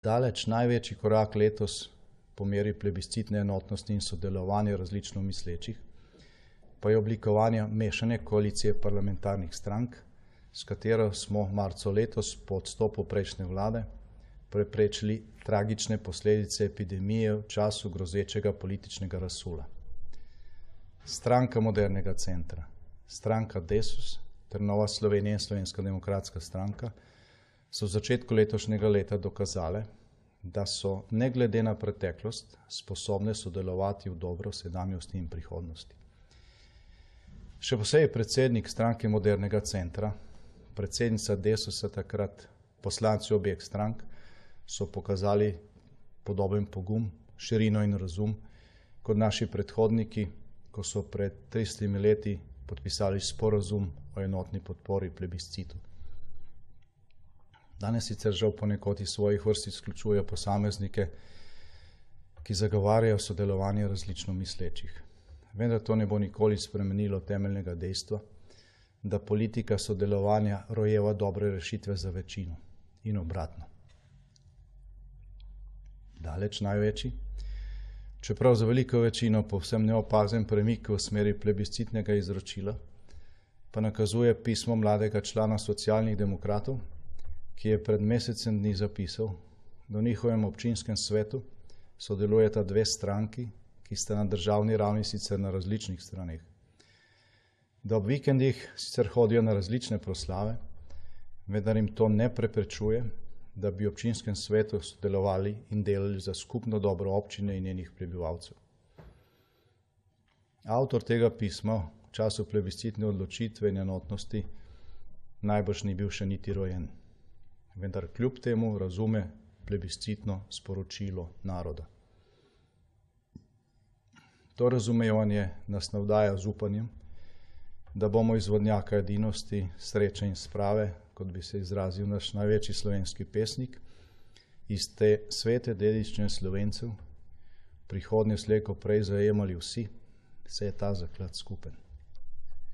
Daleč največji korak letos po meri plebiscitne enotnosti in sodelovanja različno mislečih pa je oblikovanje mešane koalicije parlamentarnih strank, s katero smo marca letos po odstopu prejšnje vlade preprečili tragične posledice epidemije v času grozečega političnega razsula. Stranka Modernega centra, stranka Desus ter Nova Slovenija in Slovenska demokratska stranka so v začetku letošnjega leta dokazale, da so ne glede na preteklost sposobne sodelovati v dobro sedanjosti in prihodnosti. Še posebej predsednik stranke Modernega centra, predsednica Desusa takrat, poslanci obeh strank so pokazali podoben pogum, širino in razum kot naši predhodniki, ko so pred 30 leti podpisali sporazum o enotni podpori plebiscitu. Danes sicer žal ponekod iz svojih vrst izključujejo posameznike, ki zagovarjajo sodelovanje različno mislečih. Vendar to ne bo nikoli spremenilo temeljnega dejstva, da politika sodelovanja rojeva dobre rešitve za večino in obratno. Daleč največji, čeprav za veliko večino povsem neopazen premik v smeri plebiscitnega izročila, pa nakazuje pismo mladega člana Socialnih demokratov, ki je pred mesecem dni zapisal, da v njihovem občinskem svetu sodelujeta dve stranki, ki sta na državni ravni sicer na različnih straneh. Da ob vikendih sicer hodijo na različne proslave, vendar jim to ne preprečuje, da bi v občinskem svetu sodelovali in delali za skupno dobro občine in njenih prebivalcev. Avtor tega pisma v času plebiscitne odločitve in enotnosti najbrž ni bil še niti rojen, vendar kljub temu razume plebiscitno sporočilo naroda. To razumevanje nas navdaja z upanjem, da bomo iz vodnjaka edinosti, sreče in sprave, kot bi se izrazil naš največji slovenski pesnik, iz te svete dediščine Slovencev prihodnje slej ko prej zajemali vsi, saj je ta zaklad skupen.